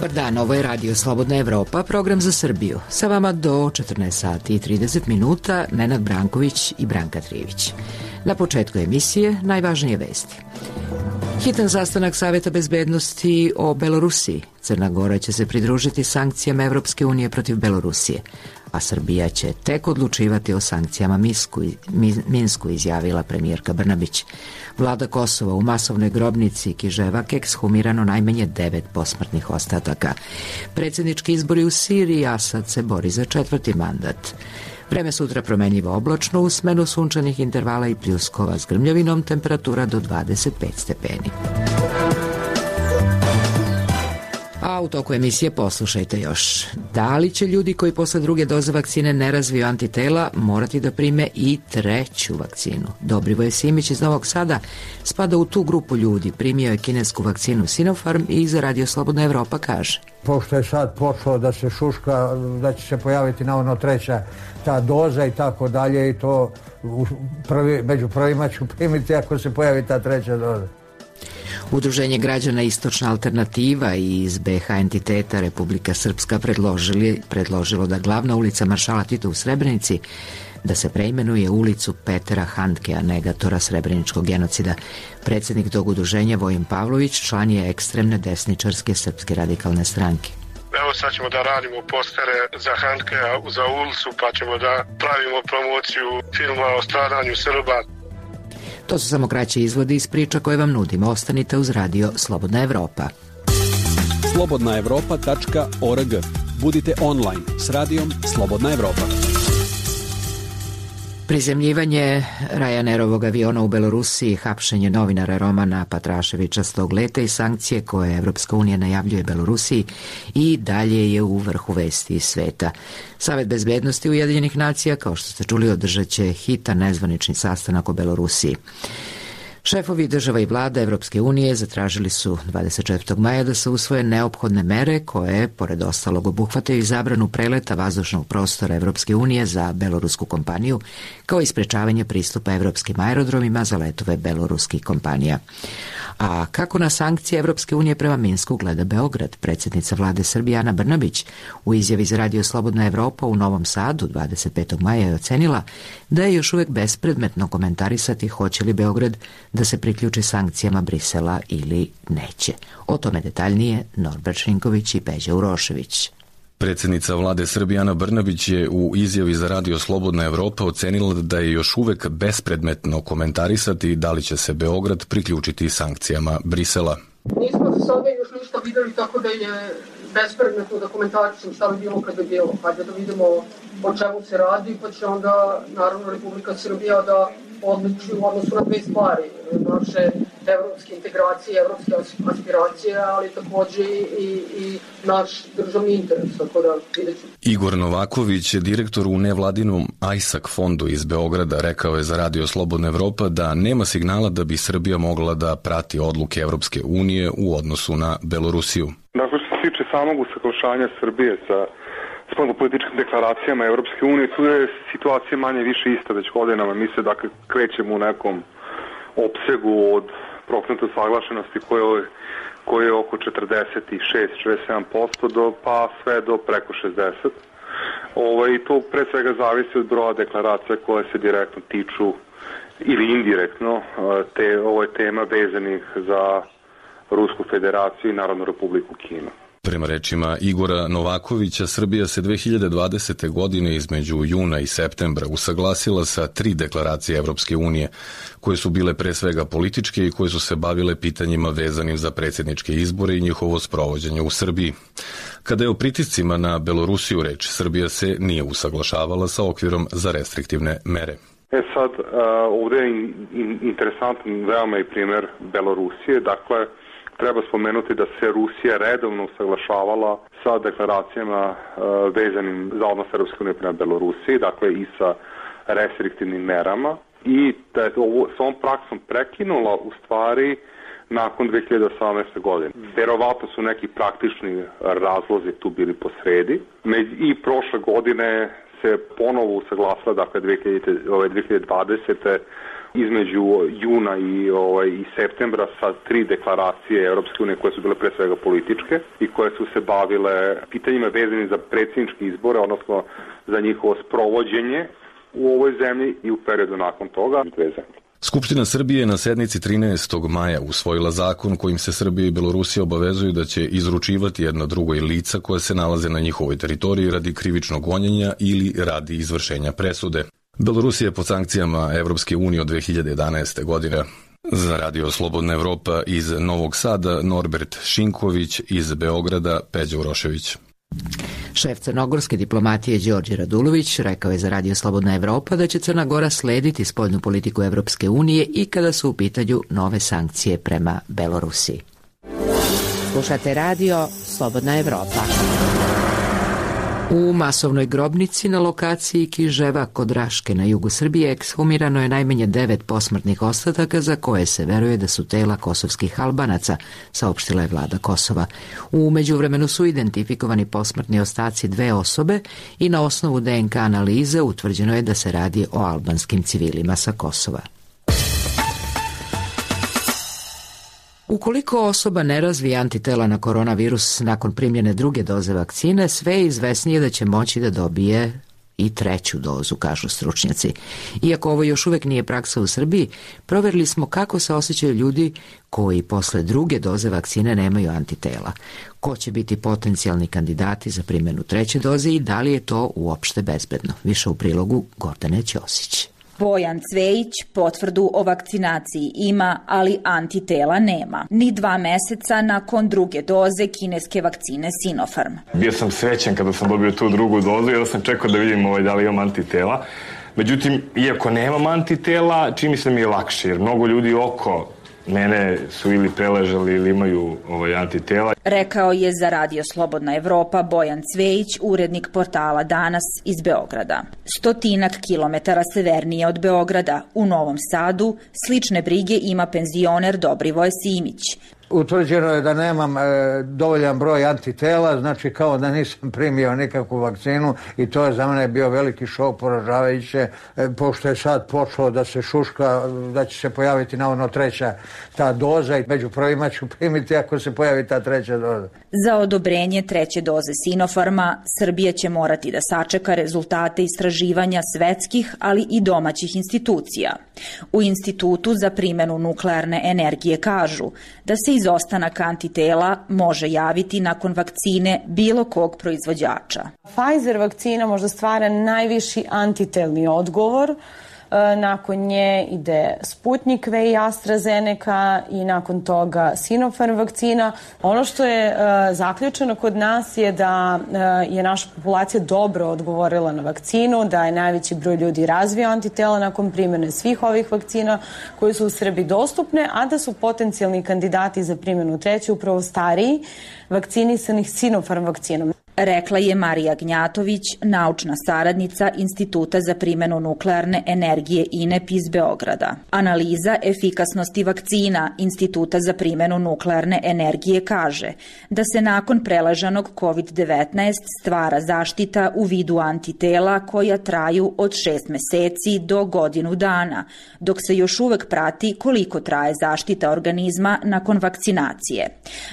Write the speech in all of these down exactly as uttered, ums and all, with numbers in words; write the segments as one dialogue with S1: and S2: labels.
S1: Dobar dan, ovo je Radio Slobodna Evropa, program za Srbiju. Sa vama do četrnaest sati i trideset minuta, Nenad Branković i Branka Trivić. Na početku emisije najvažnije vesti. Hitan sastanak Saveta bezbednosti o Belorusiji. Crna Gora će se pridružiti sankcijama Evropske unije protiv Belorusije, a Srbija će tek odlučivati o sankcijama Minsku, Minsku, izjavila premijerka Brnabić. Vlada Kosova u masovnoj grobnici Kiževak ekshumirano najmanje devet posmrtnih ostataka. Predsjednički izbori u Siriji, Asad se bori za četvrti mandat. Vreme sutra promenljivo oblačno, u smenu sunčanih intervala i pljuskova s grmljavinom, temperatura do dvadeset pet stepeni. A u toku emisije poslušajte još. Da li će ljudi koji posle druge doze vakcine ne razviju antitela morati da prime i treću vakcinu? Dobrivoje Simić iz Novog Sada spada u tu grupu ljudi. Primio je kinesku vakcinu Sinopharm i za Radio Slobodna Evropa kaže:
S2: pošto je sad počelo da se šuška, da će se pojaviti na ono treća ta doza i tako dalje, i to prvi, među prvima ću primiti ako se pojavi ta treća doza.
S1: Udruženje građana Istočna alternativa i iz be ha entiteta Republika Srpska predložili, predložilo da glavna ulica Maršala Tita u Srebrenici da se preimenuje ulicu Petera Handkea, negatora srebreničkog genocida. Predsjednik tog udruženja Vojin Pavlović član je ekstremne desničarske Srpske radikalne stranke.
S3: Evo sad ćemo da radimo postere za Handkea, za ulicu, pa ćemo da pravimo promociju filma o stradanju Srba.
S1: To su samo kraći izvodi iz priča koje vam nudimo. Ostanite uz Radio Slobodna Evropa.
S4: slobodna evropa tačka org. Budite online s Radijom Slobodna Evropa.
S1: Prizemljivanje Ryanairovog aviona u Belorusiji, hapšenje novinara Romana Patraševića s tog leta i sankcije koje Evropska unija najavljuje Belorusiji i dalje je u vrhu vesti iz sveta. Savet bezbednosti Ujedinjenih nacija, kao što ste čuli, održat će hitan nezvanični sastanak o Belorusiji. Šefovi država i vlada Evropske unije zatražili su dvadeset četvrtog maja da se usvoje neophodne mere koje, pored ostalog, obuhvataju i zabranu preleta vazdušnog prostora Evropske unije za belorusku kompaniju, kao i sprečavanje pristupa evropskim aerodromima za letove beloruskih kompanija. A kako na sankcije Evropske unije prema Minsku gleda Beograd? Predsjednica vlade Srbije Ana Brnabić u izjavi za Radio Slobodna Evropa u Novom Sadu dvadeset petog maja je ocenila da je još uvek bespredmetno komentarisati hoće li Beograd da se priključi sankcijama Brisela ili neće. O tome detaljnije Norbert Šinković i Peđa Urošević.
S5: Predsjednica vlade Srbije Ana Brnabić je u izjavi za Radio Slobodna Evropa ocenila da je još uvek bespredmetno komentarisati da li će se Beograd priključiti sankcijama Brisela.
S6: Nismo za sada još ništa videli, tako da je bespredmetno da komentarišem šta bi bilo kad bi bilo. Hajde da vidimo o čemu se radi, pa će onda naravno Republika Srbija da odluči u odnosu na dve stvari, naše evropske integracije, evropske aspiracije, ali takođe i, i naš državni interes, tako da vidjet ću.
S5: Igor Novaković, direktor u nevladinom Ajsak fondu iz Beograda, rekao je za Radio Slobodna Evropa da nema signala da bi Srbija mogla da prati odluke Evropske unije u odnosu na Belorusiju.
S7: Dakle, što se tiče samog usaglašanja Srbije sa spoljnopolitičkim deklaracijama Evropske unije, tu je situacija manje više ista već godinama. Mi se dakle krećemo u nekom opsegu od procenta usaglašenosti koje, koje je oko četrdeset šest do četrdeset sedam posto do, pa sve do preko šezdeset posto. Ovaj, to pre svega zavisi od broja deklaracija koje se direktno tiču ili indirektno te, ovo je tema vezanih za Rusku federaciju i Narodnu republiku Kinu.
S5: Prema rečima Igora Novakovića, Srbija se dve hiljade dvadesete. godine između juna i septembra usaglasila sa tri deklaracije Evropske unije, koje su bile pre svega političke i koje su se bavile pitanjima vezanim za predsjedničke izbore i njihovo sprovođenje u Srbiji. Kada je o pritiscima na Belorusiju reč, Srbija se nije usaglašavala sa okvirom za restriktivne mere.
S7: E sad, ovdje je interesantan veoma i primjer Belorusije, dakle, treba spomenuti da se Rusija redovno usaglašavala sa deklaracijama uh, vezanim za odnos Europske unije prema Belorusiji, dakle i sa restriktivnim merama, i da je ovo s ovom praksom prekinula u stvari nakon dve hiljade osamnaeste. godine. Verovatno su neki praktični razlozi tu bili posredi i prošle godine se ponovo usaglasila, dakle dve hiljade dvadesete. između juna i, ovaj, i septembra sa tri deklaracije Europske unije koje su bile pre svega političke i koje su se bavile pitanjima vezanim za predsjedničke izbore, odnosno za njihovo sprovođenje u ovoj zemlji i u periodu nakon toga dve zemlje.
S5: Skupština Srbije na sednici trinaestog maja usvojila zakon kojim se Srbija i Belorusija obavezuju da će izručivati jedno drugoj lica koje se nalaze na njihovoj teritoriji radi krivičnog gonjenja ili radi izvršenja presude. Belorusija je pod sankcijama Evropske unije od dve hiljade jedanaeste. godine. Za Radio Slobodna Evropa iz Novog Sada Norbert Šinković, iz Beograda Peđa Urošević.
S1: Šef crnogorske diplomatije Đorđe Radulović rekao je za Radio Slobodna Evropa da će Crna Gora slediti spoljnu politiku Evropske unije i kada su u pitanju nove sankcije prema Belorusiji.
S8: Slušate Radio Slobodna Evropa.
S1: U masovnoj grobnici na lokaciji Kiževa kod Raške na jugu Srbije ekshumirano je najmanje devet posmrtnih ostataka za koje se veruje da su tela kosovskih Albanaca, saopštila je vlada Kosova. U međuvremenu su identifikovani posmrtni ostaci dve osobe i na osnovu D N K analize utvrđeno je da se radi o albanskim civilima sa Kosova. Ukoliko osoba ne razvije antitela na koronavirus nakon primljene druge doze vakcine, sve je izvesnije da će moći da dobije i treću dozu, kažu stručnjaci. Iako ovo još uvek nije praksa u Srbiji, proverili smo kako se osjećaju ljudi koji posle druge doze vakcine nemaju antitela. Ko će biti potencijalni kandidati za primjenu treće doze i da li je to uopšte bezbedno? Više u prilogu Gordane Ćosić.
S9: Bojan Cvejić potvrdu o vakcinaciji ima, ali antitela nema. Ni dva meseca nakon druge doze kineske vakcine Sinopharm.
S10: Bio sam srećan kada sam dobio tu drugu dozu, jer sam čekao da vidim ovaj, da li imam antitela. Međutim, iako nemam antitela, čini se mi je lakše, jer mnogo ljudi oko mene su ili preležali ili imaju ovaj, antitela.
S9: Rekao je za Radio Slobodna Evropa Bojan Cvejić, urednik portala Danas iz Beograda. Stotinak kilometara severnije od Beograda, u Novom Sadu, slične brige ima penzioner Dobrivoje Simić.
S2: Utvrđeno je da nemam e, dovoljan broj antitela, znači kao da nisam primio nikakvu vakcinu i to je za mene bio veliki šok, poražavajuće, e, pošto je sad počelo da se šuška, da će se pojaviti navodno treća ta doza i među prvima ću primiti ako se pojavi ta treća doza.
S9: Za odobrenje treće doze Sinopharma Srbija će morati da sačeka rezultate istraživanja svetskih, ali i domaćih institucija. U Institutu za primjenu nuklearne energije kažu da se izostanak antitela može javiti nakon vakcine bilo kog proizvođača.
S11: Pfizer vakcina možda stvara najviši antitelni odgovor. Nakon nje ide Sputnik V i AstraZeneca i nakon toga Sinopharm vakcina. Ono što je uh, zaključeno kod nas je da uh, je naša populacija dobro odgovorila na vakcinu, da je najveći broj ljudi razvio antitela nakon primjene svih ovih vakcina koje su u Srbiji dostupne, a da su potencijalni kandidati za primjenu treće upravo stariji vakcinisanih Sinopharm vakcinom.
S9: Rekla je Marija Gnjatović, naučna saradnica Instituta za primjenu nuklearne energije I N E P iz Beograda. Analiza efikasnosti vakcina Instituta za primjenu nuklearne energije kaže da se nakon preležanog kovid devetnaest stvara zaštita u vidu antitela koja traju od šest meseci do godinu dana, dok se još uvek prati koliko traje zaštita organizma nakon vakcinacije.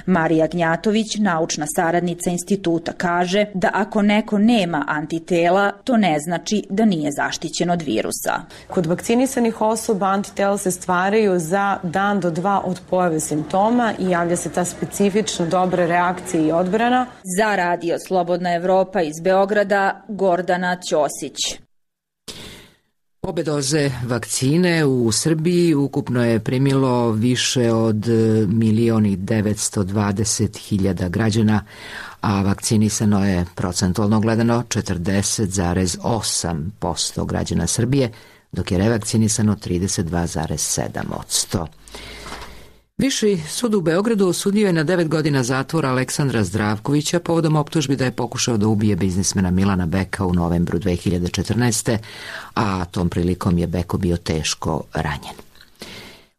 S9: Marija Gnjatović, naučna saradnica instituta, kaže kaže da ako neko nema antitela, to ne znači da nije zaštićen od virusa.
S11: Kod vakcinisanih osoba antitela se stvaraju za dan do dva od pojave simptoma i javlja se ta specifična dobra reakcija i odbrana.
S9: Za Radio Slobodna Evropa iz Beograda, Gordana Ćosić.
S1: Obe doze vakcine u Srbiji ukupno je primilo više od milion i devetsto dvadeset hiljada građana, a vakcinisano je procentualno gledano četrdeset zarez osam posto građana Srbije, dok je revakcinisano trideset dva zarez sedam posto. Viši sud u Beogradu osudio je na devet godina zatvora Aleksandra Zdravkovića povodom optužbi da je pokušao da ubije biznismena Milana Beka u novembru dve hiljade četrnaeste. a tom prilikom je Beko bio teško ranjen.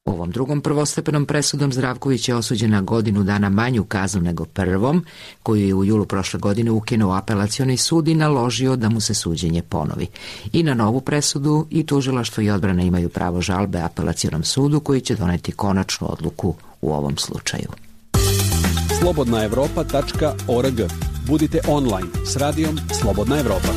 S1: Ovom drugom prvostepenom presudom Zdravković je osuđen na godinu dana manju kaznu nego prvom, koju je u julu prošle godine ukinuo apelacioni sud i naložio da mu se suđenje ponovi. I na novu presudu i tužilaštvo i odbrana imaju pravo žalbe apelacionom sudu koji će doneti konačnu odluku u ovom slučaju.
S4: slobodna evropa tačka org. Budite online s radijom Slobodna Evropa.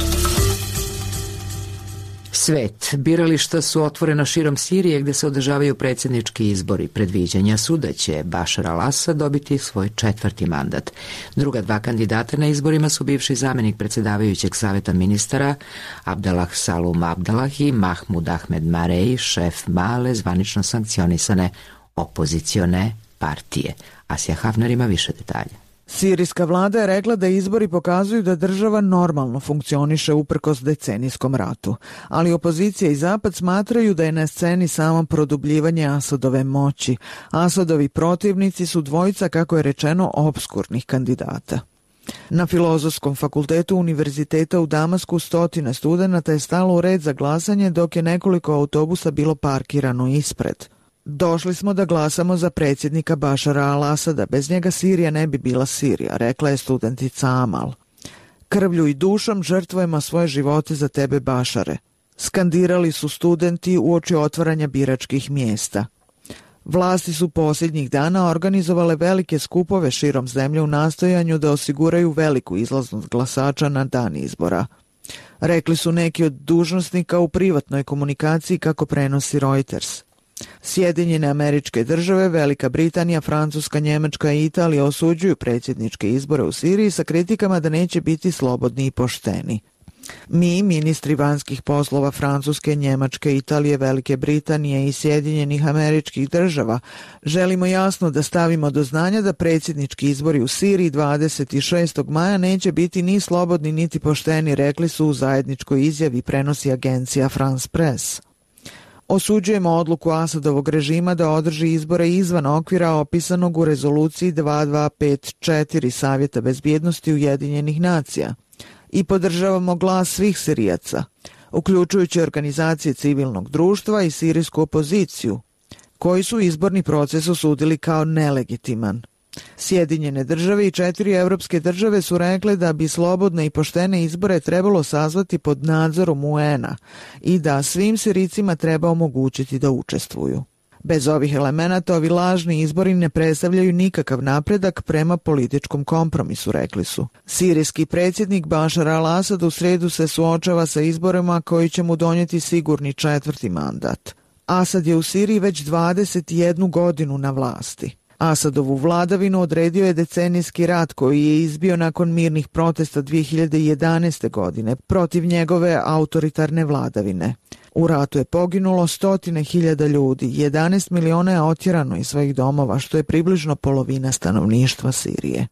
S1: Svet. Birališta su otvorena širom Sirije gde se održavaju predsjednički izbori. Predviđanja su da će Bašar al-Asad dobiti svoj četvrti mandat. Druga dva kandidata na izborima su bivši zamenik predsjedavajućeg saveta ministara Abdallah Salum Abdallah i Mahmud Ahmed Marei, šef male zvanično sankcionisane opozicione partije. Asija Hafner ima više detalja.
S12: Sirijska vlada je rekla da izbori pokazuju da država normalno funkcioniše uprkos decenijskom ratu, ali opozicija i Zapad smatraju da je na sceni samo produbljivanje Asadove moći. Asadovi protivnici su dvojica, kako je rečeno, opskurnih kandidata. Na Filozofskom fakultetu Univerziteta u Damasku stotine studenata je stalo u red za glasanje dok je nekoliko autobusa bilo parkirano ispred. Došli smo da glasamo za predsjednika Bašara al-Asada, bez njega Sirija ne bi bila Sirija, rekla je studentica Amal. Krvlju i dušom žrtvujemo svoje živote za tebe, Bašare. Skandirali su studenti uoči otvaranja biračkih mjesta. Vlasti su posljednjih dana organizovale velike skupove širom zemlje u nastojanju da osiguraju veliku izlaznost glasača na dan izbora. Rekli su neki od dužnosnika u privatnoj komunikaciji, kako prenosi Reuters. Sjedinjene Američke Države, Velika Britanija, Francuska, Njemačka i Italija osuđuju predsjedničke izbore u Siriji sa kritikama da neće biti slobodni i pošteni. Mi, ministri vanjskih poslova Francuske, Njemačke, Italije, Velike Britanije i Sjedinjenih Američkih Država, želimo jasno da stavimo do znanja da predsjednički izbori u Siriji dvadeset šestog maja neće biti ni slobodni niti pošteni, rekli su u zajedničkoj izjavi, prenosi agencija France Press. Osuđujemo odluku Asadovog režima da održi izbore izvan okvira opisanog u rezoluciji dva dva pet četiri Savjeta bezbjednosti Ujedinjenih nacija i podržavamo glas svih Sirijaca, uključujući organizacije civilnog društva i sirijsku opoziciju, koji su izborni proces osudili kao nelegitiman. Sjedinjene države i četiri evropske države su rekle da bi slobodne i poštene izbore trebalo sazvati pod nadzorom U N-a i da svim Sirijcima treba omogućiti da učestvuju. Bez ovih elemenata ovi lažni izbori ne predstavljaju nikakav napredak prema političkom kompromisu, rekli su. Sirijski predsjednik Bašar al-Asad u sredu se suočava sa izborima koji će mu donijeti sigurni četvrti mandat. Asad je u Siriji već dvadeset jednu godinu na vlasti. Asadovu vladavinu odredio je decenijski rat koji je izbio nakon mirnih protesta dvije hiljade jedanaeste. godine protiv njegove autoritarne vladavine. U ratu je poginulo stotine hiljada ljudi, jedanaest miliona je otjerano iz svojih domova, što je približno polovina stanovništva Sirije.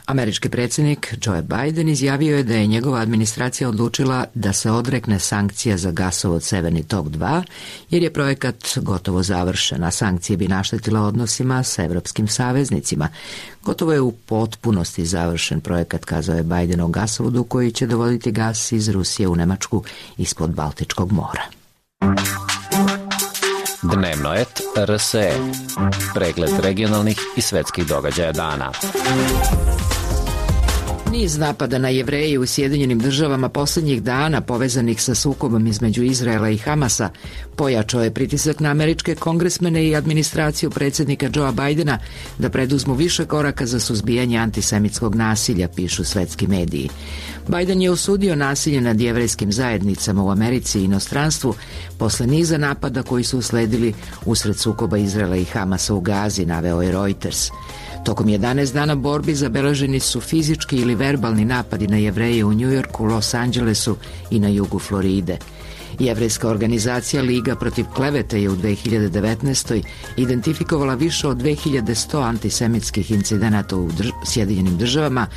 S1: Američki predsjednik Joe Biden izjavio je da je njegova administracija odlučila da se odrekne sankcija za gasovod Severni tok dva, jer je projekat gotovo završen, a sankcije bi naštetile odnosima sa evropskim saveznicima. Gotovo je u potpunosti završen projekat, kazao je Biden o gasovodu koji će dovoditi gas iz Rusije u Nemačku ispod Baltičkog mora.
S13: Dnevno et R S E. Pregled regionalnih i svetskih događaja dana.
S1: Niz napada na Jevreje u Sjedinjenim državama posljednjih dana povezanih sa sukobom između Izraela i Hamasa pojačao je pritisak na američke kongresmene i administraciju predsjednika Joea Bidena da preduzmu više koraka za suzbijanje antisemitskog nasilja, pišu svetski mediji. Biden je osudio nasilje nad jevrejskim zajednicama u Americi i inostranstvu posle niza napada koji su usledili usred sukoba Izraela i Hamasa u Gazi, naveo je Reuters. Tokom jedanaest dana borbi zabeleženi su fizički ili verbalni napadi na Jevreje u Njujorku, Los Angelesu i na jugu Floride. Jevrejska organizacija Liga protiv klevete je u dve hiljade devetnaestoj. identifikovala više od dve hiljade sto antisemitskih incidenata u drž- Sjedinjenim državama,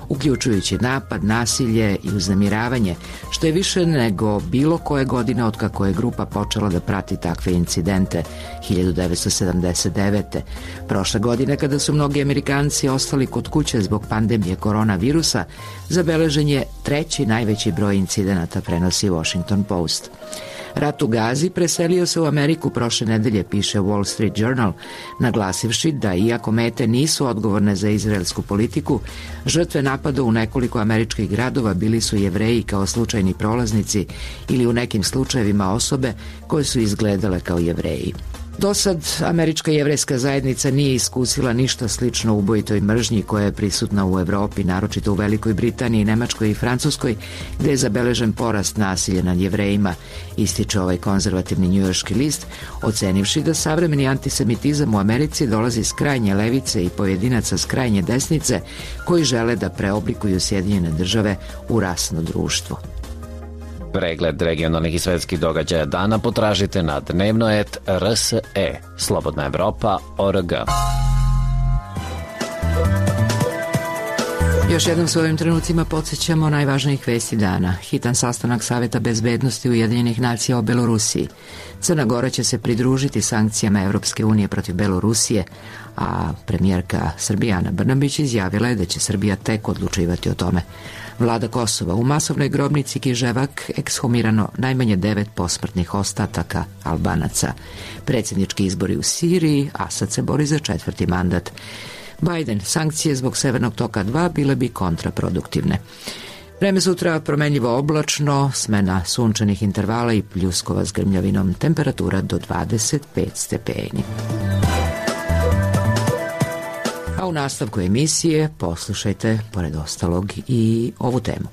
S1: uključujući napad, nasilje i uznemiravanje, što je više nego bilo koje godine otkako je grupa počela da prati takve incidente hiljadu devetsto sedamdeset devete. Prošle godine, kada su mnogi Amerikanci ostali kod kuće zbog pandemije koronavirusa, zabeležen je treći najveći broj incidenata, prenosi Washington Post. Rat u Gazi preselio se u Ameriku prošle nedelje, piše Wall Street Journal, naglasivši da iako mete nisu odgovorne za izraelsku politiku, žrtve napada u nekoliko američkih gradova bili su Jevreji kao slučajni prolaznici ili u nekim slučajevima osobe koje su izgledale kao Jevreji. Do sad američka jevrejska zajednica nije iskusila ništa slično ubojitoj mržnji koja je prisutna u Evropi, naročito u Velikoj Britaniji, Nemačkoj i Francuskoj, gde je zabeležen porast nasilja nad Jevrejima, ističe ovaj konzervativni njujorški list, ocenivši da savremeni antisemitizam u Americi dolazi s krajnje levice i pojedinaca s krajnje desnice koji žele da preoblikuju Sjedinjene države u rasno društvo.
S13: Pregled regionalnih i svetskih događaja dana potražite na dnevno et r s e, slobodna evropa tačka org.
S1: Još jednom s ovim trenucima podsjećamo najvažnijih vesti dana. Hitan sastanak Saveta bezbednosti Ujedinjenih nacija o Belorusiji. Crna Gora će se pridružiti sankcijama Evropske unije protiv Belorusije, a premijerka Srbije Ana Brnabić izjavila je da će Srbija tek odlučivati o tome. Vlada Kosova: u masovnoj grobnici Kiževak ekshumirano najmanje devet posmrtnih ostataka Albanaca. Predsjednički izbori u Siriji, Asad se bori za četvrti mandat. Biden: sankcije zbog Severnog toka dva bile bi kontraproduktivne. Vreme sutra promenljivo oblačno, smena sunčanih intervala i pljuskova s grmljavinom, temperatura do dvadeset pet stepeni. A u nastavku emisije poslušajte, pored ostalog, i ovu temu.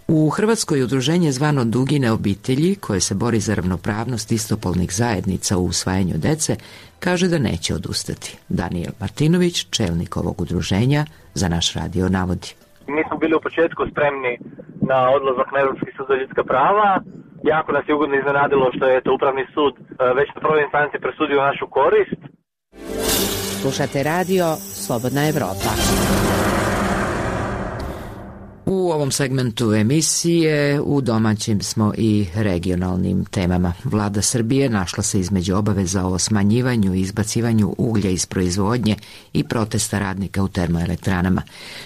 S1: U Hrvatskoj udruženje zvano Dugine obitelji, koje se bori za ravnopravnost istopolnih zajednica u usvajanju dece, kaže da neće odustati. Daniel Martinović, čelnik ovog udruženja, za naš radio navodi.
S14: Mi smo bili u početku spremni na odlazak na Evropski sud za ljudska prava. Jako nas je ugodno iznenadilo što je to Upravni sud već na prvoj instanci presudio našu korist.
S8: Slušate radio Slobodna Evropa.
S1: U ovom segmentu emisije u domaćim smo i regionalnim temama. Vlada Srbije našla se između obaveza o smanjivanju i izbacivanju uglja iz proizvodnje i protesta radnika u termoelektranama.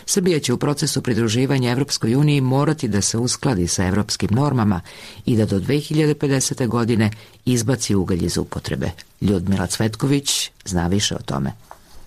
S1: Srbija će u procesu pridruživanja Evropskoj uniji morati da se uskladi sa evropskim normama i da do dve hiljade pedesete. godine izbaci ugalj iz upotrebe. Ljudmila Cvetković zna više o tome.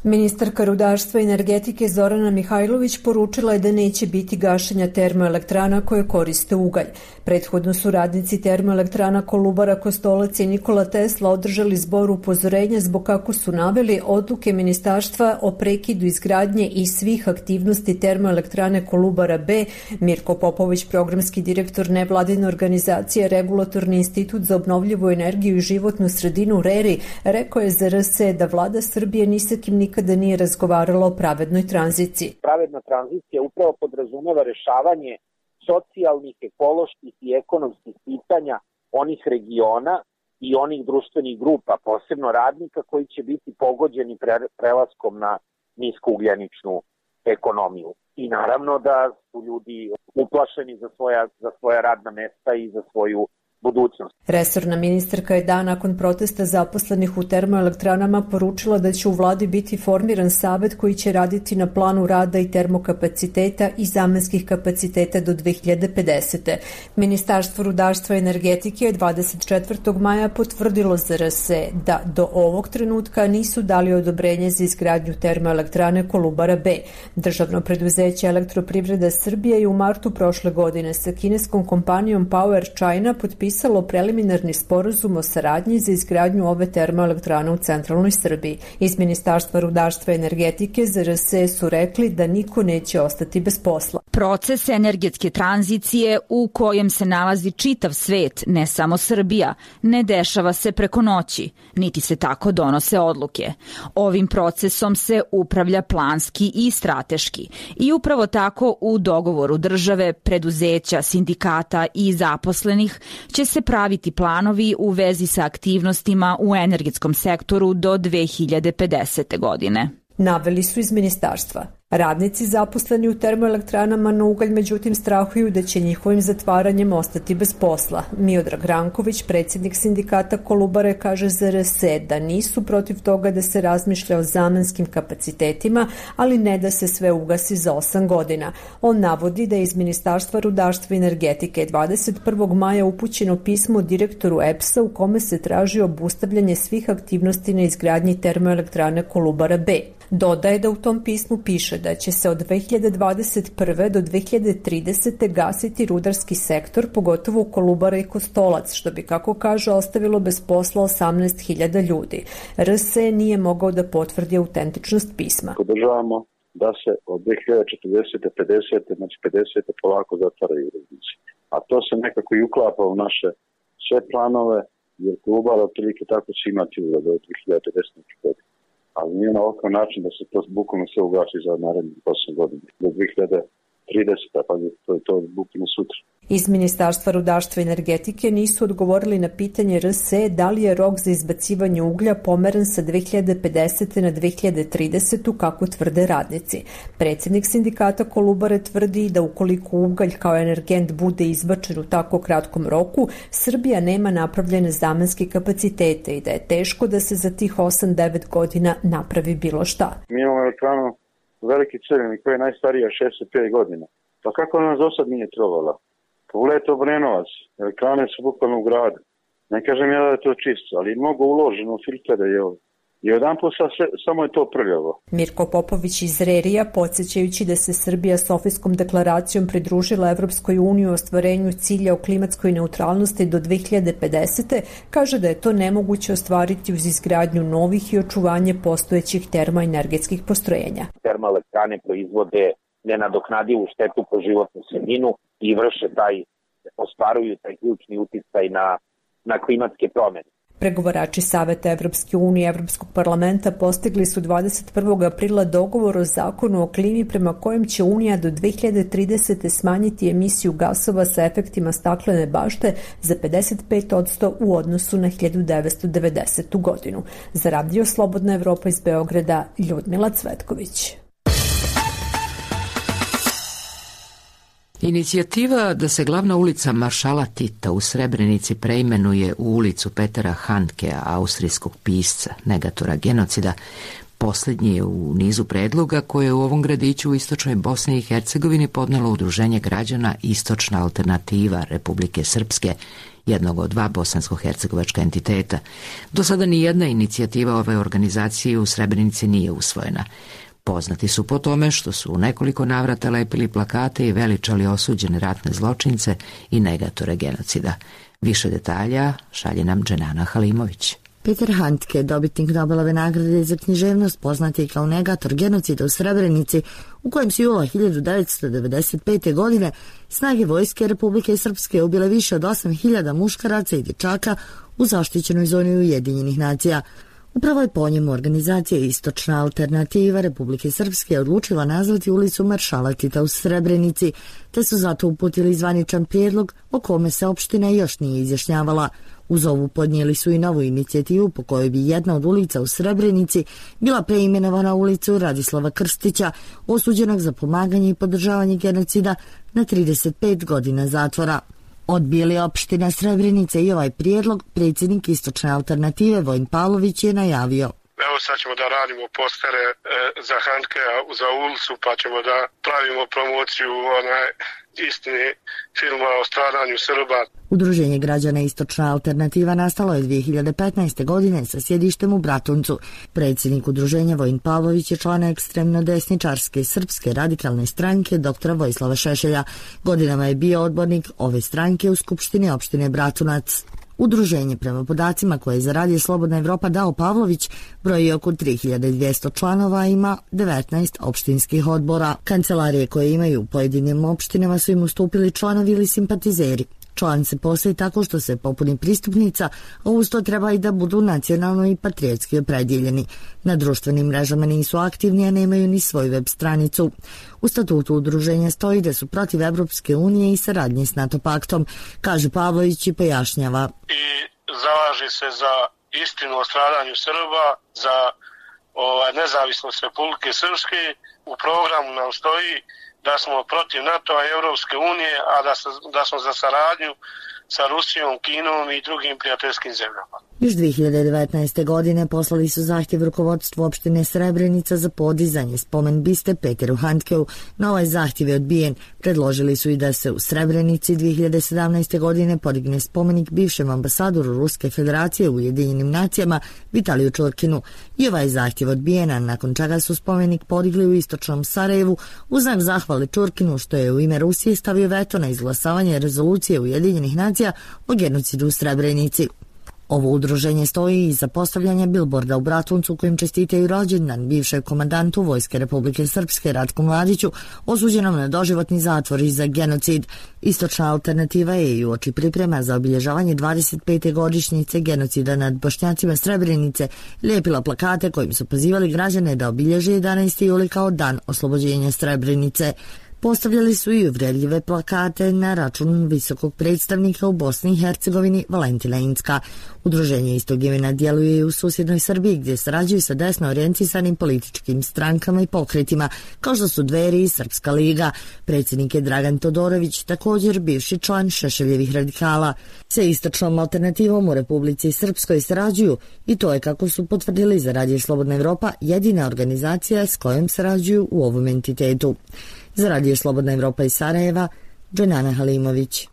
S15: Ministarka rudarstva i energetike Zorana Mihajlović poručila je da neće biti gašenja termoelektrana koje koriste ugalj. Prethodno su radnici termoelektrana Kolubara, Kostolac i Nikola Tesla održali zbor upozorenja zbog, kako su naveli, odluke ministarstva o prekidu izgradnje i svih aktivnosti termoelektrane Kolubara B. Mirko Popović, programski direktor nevladine organizacije Regulatorni institut za obnovljivu energiju i životnu sredinu RERI, rekao je za R S E da vlada Srbije ni sa kim nikada nije razgovarala o pravednoj tranziciji.
S16: Pravedna tranzicija upravo podrazumeva rešavanje socijalnih, ekoloških i ekonomskih pitanja onih regiona i onih društvenih grupa, posebno radnika koji će biti pogođeni prelaskom na niskougljeničnu ekonomiju. I naravno da su ljudi uplašeni za svoja, za svoja radna mesta i za svoju budućnost.
S15: Resorna ministarka je dan nakon protesta zaposlenih u termoelektranama poručila da će u vladi biti formiran savet koji će raditi na planu rada i termokapaciteta i zamenskih kapaciteta do dve hiljade pedesete. Ministarstvo rudarstva i energetike je dvadeset četvrtog maja potvrdilo za R S E da do ovog trenutka nisu dali odobrenje za izgradnju termoelektrane Kolubara B. Državno preduzeće Elektroprivreda Srbije je u martu prošle godine sa kineskom kompanijom Power China potpisalo preliminarni sporazum o saradnji za izgradnju ove termoelektrane u centralnoj Srbiji. Iz Ministarstva rudarstva i energetike za R S E su rekli da niko neće ostati bez posla.
S9: Proces energetske tranzicije u kojem se nalazi čitav svet, ne samo Srbija, ne dešava se preko noći, niti se tako donose odluke. Ovim procesom se upravlja planski i strateški i upravo tako u dogovoru države, preduzeća, sindikata i zaposlenih će se praviti planovi u vezi sa aktivnostima u energetskom sektoru do dve hiljade pedesete. godine.
S15: Naveli su iz ministarstva. Radnici zaposleni u termoelektranama na ugalj međutim strahuju da će njihovim zatvaranjem ostati bez posla. Miodrag Ranković, predsjednik sindikata Kolubare, kaže za R S E da nisu protiv toga da se razmišlja o zamenskim kapacitetima, ali ne da se sve ugasi za osam godina. On navodi da je iz Ministarstva rudarstva i energetike dvadeset prvog maja upućeno pismo direktoru E P S-a u kome se traži obustavljanje svih aktivnosti na izgradnji termoelektrane Kolubara B. Dodaje da u tom pismu piše da će se od dve hiljade dvadeset prve do dve hiljade tridesete gasiti rudarski sektor, pogotovo u Kolubara i Kostolac, što bi, kako kaže, ostavilo bez posla osamnaest hiljada ljudi. R S E nije mogao da potvrdi autentičnost pisma.
S17: Podržavamo da se od dve hiljade četrdesete, pedesete, znači pedesete polako zatvaraju rudnici. A to se nekako i uklapa u naše sve planove, jer Kolubara otprilike tako će imati do dve hiljade pedesete godine. Ali nije na ovakav način da se to bukvalno sve ugasi za narednih osam godina. Do dve hiljade tridesete. pa to je to bukvalno sutra.
S15: Iz Ministarstva rudarstva i energetike nisu odgovorili na pitanje R S E da li je rok za izbacivanje uglja pomeren sa dve hiljade pedesete na dve hiljade tridesetu kako tvrde radnici. Predsjednik sindikata Kolubare tvrdi da ukoliko ugalj kao energent bude izbačen u tako kratkom roku, Srbija nema napravljene zamenske kapacitete i da je teško da se za tih osam devet godina napravi bilo šta.
S17: Mi imamo elektranu Veliki Crveni koja je najstarija šezdeset pet godina. Pa kako nas do sad nije trovala? Pogledajte Obrenovac, elektrane su bukvalno u gradu. Ne kažem ja da je to čisto, ali mnogo uloženo u filtere je ovo. I jedan put samo je to prljavo.
S15: Mirko Popović iz Rerija, podsjećajući da se Srbija Sofijskom deklaracijom pridružila Evropskoj uniji u ostvarenju cilja o klimatskoj neutralnosti do dve hiljade pedesete, kaže da je to nemoguće ostvariti uz izgradnju novih i očuvanje postojećih termoenergetskih postrojenja.
S16: Termoelektrane proizvode nenadoknadivu štetu po životnu sredinu i vrše taj, ostvaruju taj ključni uticaj na, na klimatske promjene.
S15: Pregovarači Saveta Evropske unije i Evropskog parlamenta postigli su dvadeset prvog aprila dogovor o zakonu o klimi prema kojem će Unija do dve hiljade tridesete smanjiti emisiju gasova sa efektima staklene bašte za pedeset pet posto u odnosu na hiljadu devetsto devedesetu godinu. Za Radio Slobodna Evropa iz Beograda, Ljudmila Cvetković.
S1: Inicijativa da se glavna ulica Maršala Tita u Srebrenici preimenuje u ulicu Petera Handkea, austrijskog pisca, negatora genocida, posljednji je u nizu predloga koje u ovom gradiću u istočnoj Bosni i Hercegovini podnelo Udruženje građana Istočna alternativa Republike Srpske, jednog od dva bosansko-hercegovačka entiteta. Do sada ni jedna inicijativa ove organizacije u Srebrenici nije usvojena. Poznati su po tome što su u nekoliko navrata lepili plakate i veličali osuđene ratne zločince i negatore genocida. Više detalja šalje nam Dženana Halimović.
S18: Peter Handke, dobitnik Nobelove nagrade za književnost, poznat je kao negator genocida u Srebrenici, u kojem su jula hiljadu devetsto devedeset pete. godine snage vojske Republike Srpske ubile više od osam hiljada muškaraca i dječaka u zaštićenoj zoni Ujedinjenih nacija. Upravo je po njemu organizacija Istočna alternativa Republike Srpske odlučila nazvati ulicu Maršala Tita u Srebrenici, te su zato uputili zvaničan prijedlog o kome se opština još nije izjašnjavala. Uz ovu podnijeli su i novu inicijativu po kojoj bi jedna od ulica u Srebrenici bila preimenovana ulicu Radislava Krstića, osuđenog za pomaganje i podržavanje genocida na trideset pet godina zatvora. Odbili opština Srebrenica i ovaj prijedlog, predsjednik Istočne alternative Vojin Pavlović je najavio.
S3: Evo sad ćemo da radimo postere e, za Handkea za ulicu, pa ćemo da pravimo promociju onaj istini filma o stradanju Srba.
S18: Udruženje građana Istočna alternativa nastalo je dvije hiljade petnaeste. godine sa sjedištem u Bratuncu. Predsjednik udruženja Vojin Pavlović je član ekstremno desničarske srpske radikalne stranke doktora Vojislava Šešelja. Godinama je bio odbornik ove stranke u Skupštini opštine Bratunac. Udruženje, prema podacima koje je za Radio Slobodna Evropa dao Pavlović, broji oko tri hiljade dvjesto članova, ima devetnaest opštinskih odbora. Kancelarije koje imaju u pojedinim opštinama su im ustupili članovi ili simpatizeri. Član se postoji tako što se popuni pristupnica, a uz to treba i da budu nacionalno i patriotski opredjeljeni. Na društvenim mrežama nisu aktivni, a nemaju ni svoju web stranicu. U statutu udruženja stoji da su protiv Evropske unije i saradnje s NATO paktom, kaže Pavlović i pojašnjava.
S3: I zalaže se za istinu o stradanju Srba, za ovaj, nezavisnost Republike Srpske. U programu nam stoji da smo protiv NATO-a i Europske unije, a da, da smo za saradnju sa Rusijom, Kinom i drugim prijateljskim zemljama.
S18: Još dve hiljade devetnaeste. godine poslali su zahtjev rukovodstvu opštine Srebrenica za podizanje spomen biste Peteru Handkeu. Na ovaj zahtjev je odbijen. Predložili su i da se u Srebrenici dve hiljade sedamnaeste. godine podigne spomenik bivšem ambasadoru Ruske federacije u Ujedinjenim nacijama Vitaliju Čurkinu. I ovaj zahtjev odbijena, nakon čega su spomenik podigli u istočnom Sarajevu u znak zahvale Čurkinu što je u ime Rusije stavio veto na izglasavanje rezolucije Ujedinjenih nacija o genocidu u Srebrenici. Ovo udruženje stoji iza postavljanja bilborda u Bratuncu kojim čestitaju rođendan bivšeg komandantu Vojske Republike Srpske Ratku Mladiću, osuđenom na doživotni zatvor i za genocid. Istočna alternativa je i uoči priprema za obilježavanje dvadeset pete godišnjice genocida nad Bošnjacima Srebrenice lijepila plakate kojim su pozivali građane da obilježe jedanaesti juli kao dan oslobođenja Srebrenice. Postavljali su i uvredljive plakate na račun visokog predstavnika u Bosni i Hercegovini Valentina Incka. Udruženje istog imena djeluje i u susjednoj Srbiji gdje sarađuju sa desno orijentisanim političkim strankama i pokretima kao što su Dveri i Srpska liga. Predsjednik je Dragan Todorović, također bivši član Šešeljevih radikala. Sa istočnom alternativom u Republici Srpskoj sarađuju i to je, kako su potvrdili za Radio Slobodna Evropa, jedina organizacija s kojom sarađuju u ovom entitetu. Za Radio Slobodna Evropa iz Sarajeva, Dženana Halimović.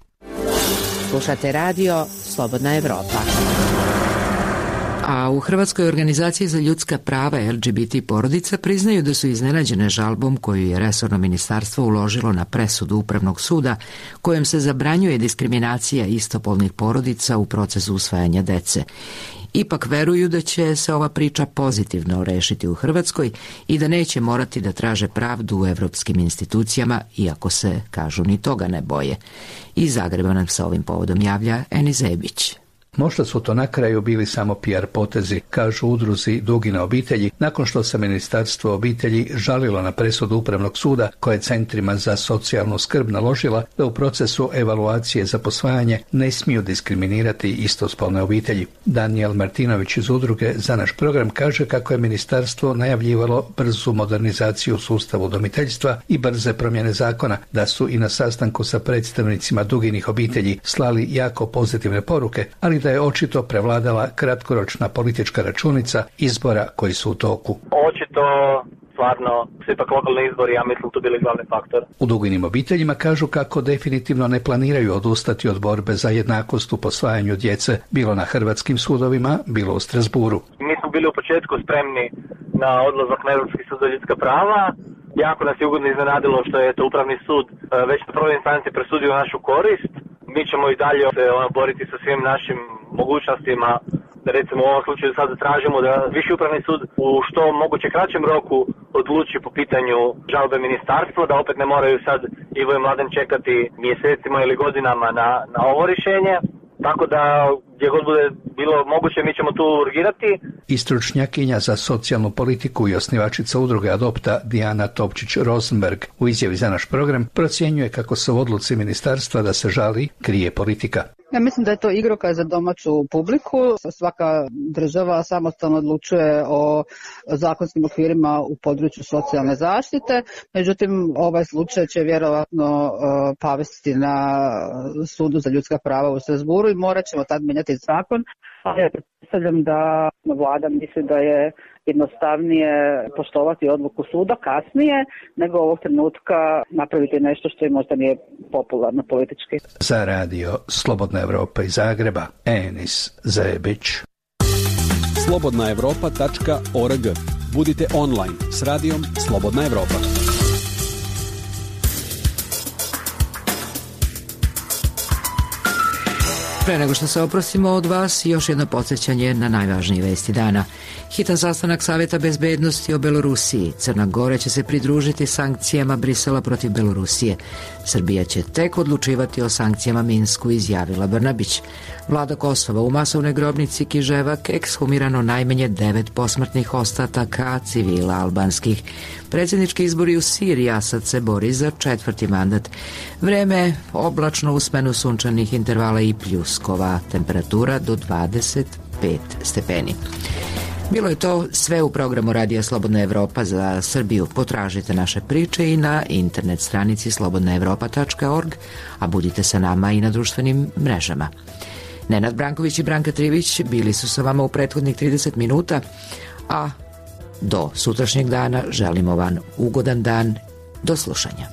S8: Slušate Radio Slobodna Evropa.
S1: A u Hrvatskoj organizaciji za ljudska prava L G B T porodica priznaju da su iznenađene žalbom koju je resorno ministarstvo uložilo na presudu Upravnog suda kojom se zabranjuje diskriminacija istopolnih porodica u procesu usvajanja dece. Ipak veruju da će se ova priča pozitivno rešiti u Hrvatskoj i da neće morati da traže pravdu u evropskim institucijama, iako se, kažu, ni toga ne boje. Iz Zagreba nam sa ovim povodom javlja Eni Zebić.
S19: Možda su to na kraju bili samo P R potezi, kažu udruzi Dugine obitelji, nakon što se Ministarstvo obitelji žalilo na presudu Upravnog suda koje centrima za socijalnu skrb naložila da u procesu evaluacije za posvajanje ne smiju diskriminirati istospolne obitelji. Daniel Martinović iz udruge Za naš program kaže kako je ministarstvo najavljivalo brzu modernizaciju sustava udomiteljstva i brze promjene zakona, da su i na sastanku sa predstavnicima Duginih obitelji slali jako pozitivne poruke, ali da je očito prevladala kratkoročna politička računica izbora koji su u toku.
S14: Očito, stvarno, su ipak lokalni izbori, ja mislim, tu bili glavni faktor.
S19: U Duginim obiteljima kažu kako definitivno ne planiraju odustati od borbe za jednakost u posvajanju djece, bilo na hrvatskim sudovima, bilo u Strasburu.
S14: Mi smo bili u početku spremni na odlazak na Europski sud za ljudska prava. Jako nas je ugodno iznenadilo što je to Upravni sud već na prvoj instanci presudio našu korist. Mi ćemo i dalje se ono, boriti sa svim našim mogućnostima. Recimo u ovom slučaju sad tražimo da Viši upravni sud u što moguće kraćem roku odluči po pitanju žalbe ministarstva, da opet ne moraju sad Ivo i Mladen čekati mjesecima ili godinama na, na ovo rješenje. Tako da gdje god bude bilo moguće mi ćemo tu urgirati.
S19: I stručnjakinja za socijalnu politiku i osnivačica udruge Adopta Dijana Topčić-Rosenberg u izjavi za naš program procjenjuje kako se u odluci ministarstva da se žali krije politika.
S20: Ja mislim da je to igrokaz za domaću publiku. Svaka država samostalno odlučuje o zakonskim okvirima u području socijalne zaštite. Međutim, ovaj slučaj će vjerovatno pavesti na sudu za ljudska prava u Strasburu i morat ćemo tad mijenjati zakon. Ja pretpostavljam da vlada misli da je jednostavnije poštovati odluku suda kasnije, nego ovog trenutka napraviti nešto što im možda nije popularno politički.
S19: Za Radio Slobodna Evropa iz Zagreba, Enis Zebić.
S4: slobodna evropa tačka org. Budite online s radijom Slobodna Evropa.
S1: Pre nego što se oprostimo od vas, još jedno podsjećanje na najvažnije vesti dana. Hitan sastanak Savjeta bezbednosti o Belorusiji. Crna Gora će se pridružiti sankcijama Brisela protiv Belorusije. Srbija će tek odlučivati o sankcijama Minsku, izjavila Brnabić. Vlada Kosova u masovnoj grobnici Kiževak ekshumirano najmanje devet posmrtnih ostataka civila albanskih. Predsjednički izbori u Siriji, Asad se bori za četvrti mandat. Vreme oblačno u smenu sunčanih intervala i pljuskova. Temperatura do dvadeset pet stepeni. Bilo je to sve u programu Radija Slobodna Evropa za Srbiju. Potražite naše priče i na internet stranici slobodna evropa tačka org, a budite sa nama i na društvenim mrežama. Nenad Branković i Branka Trivić bili su sa vama u prethodnih trideset minuta, a do sutrašnjeg dana želimo vam ugodan dan. Do slušanja.